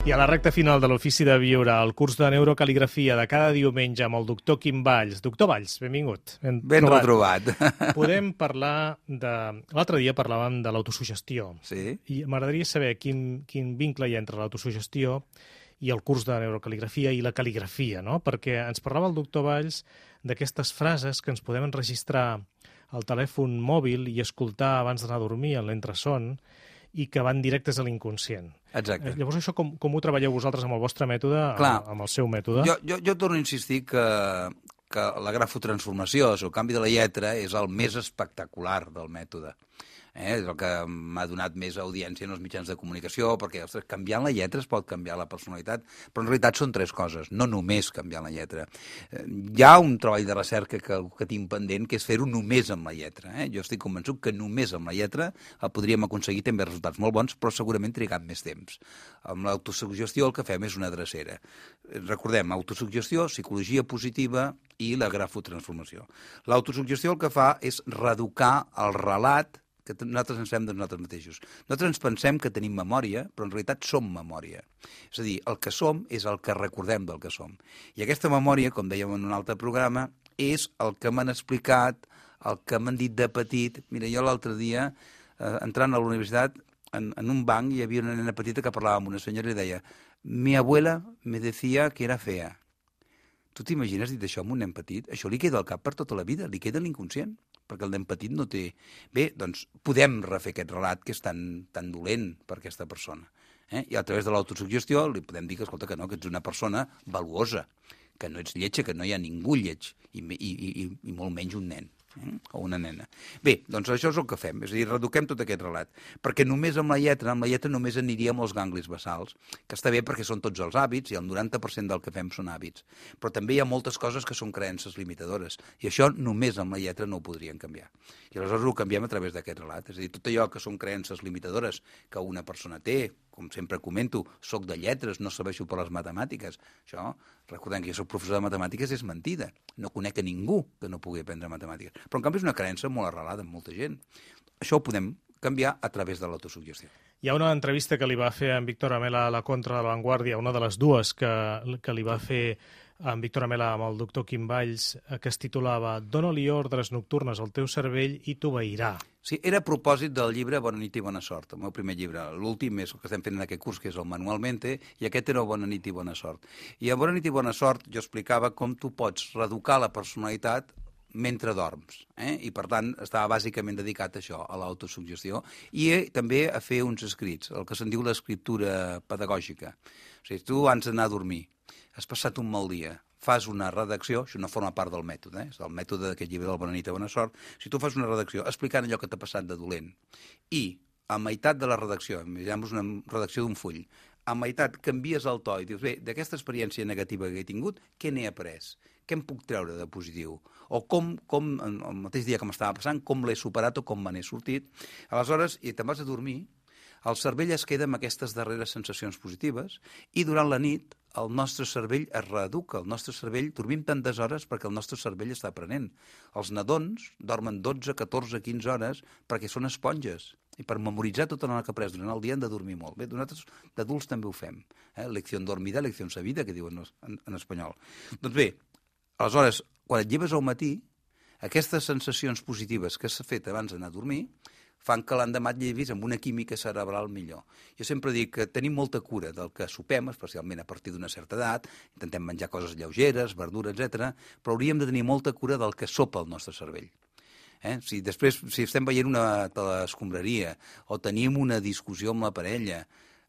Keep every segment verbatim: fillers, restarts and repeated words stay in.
I a la recta final de l'Ofici de Viure, el curs de neurocaligrafia de cada diumenge amb el doctor Quim Valls. Doctor Valls, benvingut. Ben, ben retrobat. Podem parlar de... L'altre dia parlàvem de l'autosugestió. Sí. I m'agradaria saber quin, quin vincle hi ha entre l'autosugestió i el curs de neurocaligrafia i la cal·ligrafia, no? Perquè ens parlava el doctor Valls d'aquestes frases que ens podem enregistrar al telèfon mòbil i escoltar abans d'anar a dormir en l'entreson, i que van directes a l'inconscient. Exacte. Llavors, això com, com ho treballeu vosaltres amb el vostre mètode, Clar, amb, amb el seu mètode? Jo, jo, jo torno a insistir que, que la grafotransformació, el canvi de la lletra, és el més espectacular del mètode. Eh? És el que m'ha donat més audiència en els mitjans de comunicació, perquè ostres, canviant la lletra es pot canviar la personalitat, però en realitat són tres coses, no només canviant la lletra. Eh, hi ha un treball de recerca que, que tinc pendent, que és fer-ho només amb la lletra. Eh? Jo estic convençut que només amb la lletra podríem aconseguir també resultats molt bons, però segurament trigant més temps. Amb l'autosugestió el que fem és una drecera. Recordem, autosugestió, psicologia positiva i la grafotransformació. L'autosugestió el que fa és reeducar el relat que nosaltres ens fem de nosaltres mateixos. Nosaltres ens pensem que tenim memòria, però en realitat som memòria. És a dir, el que som és el que recordem del que som. I aquesta memòria, com dèiem en un altre programa, és el que m'han explicat, el que m'han dit de petit. Mira, jo l'altre dia, eh, entrant a la universitat, en, en un banc hi havia una nena petita que parlava amb una senyora i deia «Mi abuela me decía que era fea». Tu t'imagines dit això amb un nen petit? Això li queda al cap per tota la vida, li queda l'inconscient, perquè el nen petit no té... Bé, doncs podem refer aquest relat que és tan, tan dolent per aquesta persona. Eh? I a través de l'autosugestió li podem dir que, escolta, que no, que ets una persona valuosa, que no ets lletja, que no hi ha ningú lleig, i, i, i, i molt menys un nen. Eh? O una nena. Bé, doncs això és el que fem, és a dir, reeduquem tot aquest relat, perquè només amb la lletra, amb la lletra només aniríem als ganglis basals, que està bé perquè són tots els hàbits i el noranta per cent del que fem són hàbits, però també hi ha moltes coses que són creences limitadores, i això només amb la lletra no ho podrien canviar. I aleshores ho canviem a través d'aquest relat, és a dir, tot allò que són creences limitadores que una persona té, com sempre comento, soc de lletres, no serveixo per les matemàtiques. Això, recordem que jo soc professor de matemàtiques, és mentida. No conec a ningú que no pugui aprendre matemàtiques. Però, en canvi, és una creença molt arrelada en molta gent. Això ho podem canviar a través de l'autosugestió. Hi ha una entrevista que li va fer en Víctor Amela a la Contra de la Vanguardia, una de les dues que, que li va fer en Víctor Amela amb el doctor Quim Valls, que es titulava «Dóna-li ordres nocturnes al teu cervell i t'obeirà». Sí, era a propòsit del llibre Bona nit i bona sort, el meu primer llibre. L'últim és el que estem fent en aquest curs, que és el Manualmente, i aquest era Bona nit i bona sort. I a Bona nit i bona sort jo explicava com tu pots reeducar la personalitat mentre dorms, eh? I per tant estava bàsicament dedicat a això, a l'autosugestió, i eh, també a fer uns escrits, el que se'n diu l'escriptura pedagògica. O sigui, tu abans d'anar a dormir, has passat un mal dia, fas una redacció, això no forma part del mètode, eh? És el mètode d'aquest llibre del Bona nit i bona sort, si tu fas una redacció explicant allò que t'ha passat de dolent, i a meitat de la redacció, imaginem una redacció d'un full, a meitat canvies el to i dius, bé, d'aquesta experiència negativa que he tingut, què n'he après? Què em puc treure de positiu? O com, com el mateix dia que m'estava passant, com l'he superat o com me n'he sortit? Aleshores, i te'n vas a dormir, el cervell es queda amb aquestes darreres sensacions positives i durant la nit el nostre cervell es reeduca. El nostre cervell, dormim tantes hores perquè el nostre cervell està aprenent. Els nadons dormen dotze, catorze, quinze hores perquè són esponges. I per memoritzar tota la que ha après durant el dia han de dormir molt. Bé, nosaltres d'adults també ho fem. Eh? Lecció dormida, lecció sabida, que diuen en, en espanyol. Doncs bé, aleshores, quan et lleves al matí, aquestes sensacions positives que s'ha fet abans d'anar a dormir fan que l'endemà et llevis amb una química cerebral millor. Jo sempre dic que tenim molta cura del que sopem, especialment a partir d'una certa edat, intentem menjar coses lleugeres, verdura, etcètera, però hauríem de tenir molta cura del que sopa el nostre cervell. Eh? Si després, si estem veient una telescombraria o tenim una discussió amb la parella,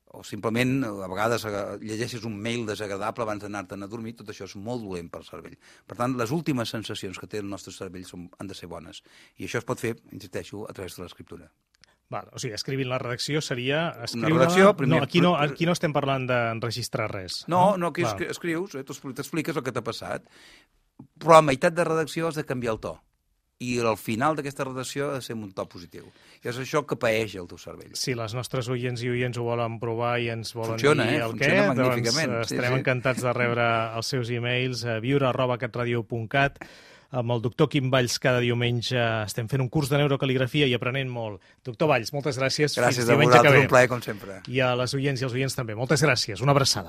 o simplement a vegades llegeixes un mail desagradable abans d'anar-te'n a dormir, tot això és molt dolent pel cervell. Per tant, les últimes sensacions que té el nostre cervell són, han de ser bones. I això es pot fer, insisteixo, a través de l'escriptura. Val, o sigui, escrivint la redacció seria... Una redacció, primer... No, aquí no, aquí no estem parlant d'enregistrar res. No, no, aquí Val. escrius, eh, t'expliques el que t'ha passat, però a meitat de redacció has de canviar el to. I al final d'aquesta redacció ha de ser un to positiu. I és això que paeix el teu cervell. Si les nostres oients i oients ho volen provar i ens volen funciona, dir eh? el Funciona què, magníficament. doncs estarem sí, sí. encantats de rebre els seus e-mails a viure arroba catradio punt cat. amb el doctor Quim Valls cada diumenge. Estem fent un curs de neurocaligrafia i aprenent molt. Doctor Valls, moltes gràcies. Gràcies Fins a vosaltres, que ve. un plaer com sempre. I a les oients i als oients també. Moltes gràcies. Una abraçada.